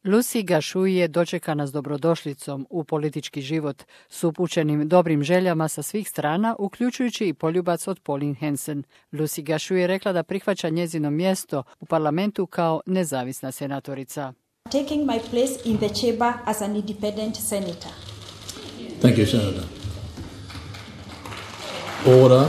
Lucy Gašui je dočekana s dobrodošlicom u politički život s upućenim dobrim željama sa svih strana, uključujući i poljubac od Pauline Hanson. Lucy Gašui je rekla da prihvaća njezino mjesto u parlamentu kao nezavisna senatorica. Taking my place in the chamber as an independent senator. Thank you, Senator. Order.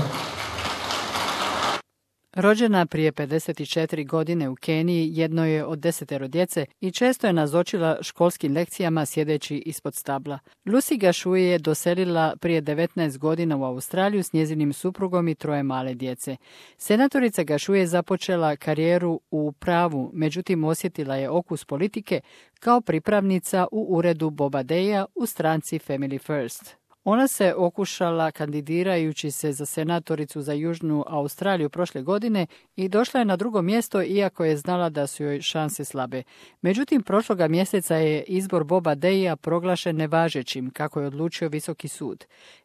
Rođena prije 54 godine u Keniji, jedno je od 10 djece i često je nazočila školskim lekcijama sjedeći ispod stabla. Lucy Gašui je doselila prije 19 godina u Australiju s njezinim suprugom i 3 male djece. Senatorica Gašui je započela karijeru u pravu, međutim osjetila je okus politike kao pripravnica u uredu Boba Deja u stranci Family First. Ona se okušala kandidirajući se za senatoricu za Južnu Australiju prošle godine i došla je na 2. mjesto iako je znala da su joj šanse slabe. Međutim, prošloga mjeseca je izbor Boba Deja proglašen nevažećim, kako je odlučio Visoki sud.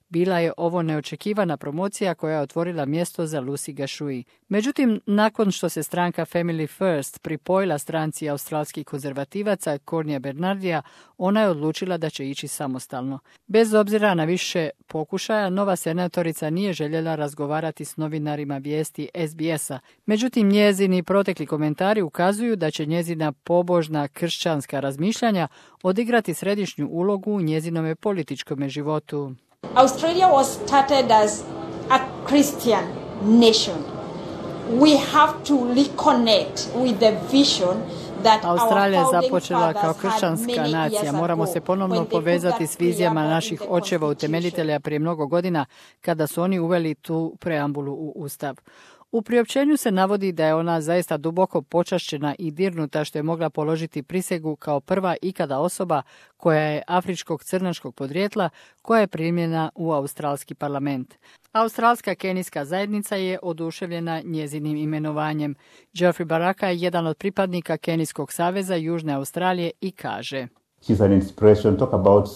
Bila je ovo neočekivana promocija koja je otvorila mjesto za Lucy Gašui. Međutim, nakon što se stranka Family First pripojila stranci australskih konzervativaca Cornija Bernardija, ona je odlučila da će ići samostalno. Bez obzira na više pokušaja, nova senatorica nije željela razgovarati s novinarima vijesti SBS-a. Međutim, njezini protekli komentari ukazuju da će njezina pobožna kršćanska razmišljanja odigrati središnju ulogu u njezinome političkom životu. Australia was started as a Christian nation. We have to reconnect with the vision that Australija je započela kao kršćanska nacija. Moramo se ponovno povezati s vizijama naših očeva utemeljitelja prije mnogo godina kada su oni uveli tu preambulu u Ustav. U priopćenju se navodi da je ona zaista duboko počašćena i dirnuta što je mogla položiti prisegu kao prva ikada osoba koja je afričkog crnačkog podrijetla koja je primljena u australski parlament. Australska kenijska zajednica je oduševljena njezinim imenovanjem. Geoffrey Baraka je jedan od pripadnika Kenijskog saveza Južne Australije i kaže: She's an inspiration. Talk about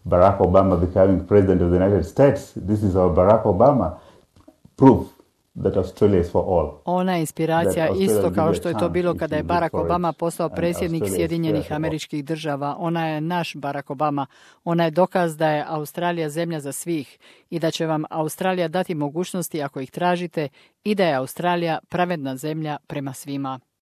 Barack Obama becoming president of the United States. This is our Barack Obama proof that Australia is for all. Ona je inspiracija isto kao što je to bilo kada je Barack Obama postao predsjednik Sjedinjenih Američkih Država. Ona je naš Barack Obama. Ona je dokaz da je Australija zemlja za svih i da će vam Australija dati mogućnosti ako ih tražite i da je Australija pravedna zemlja prema svima.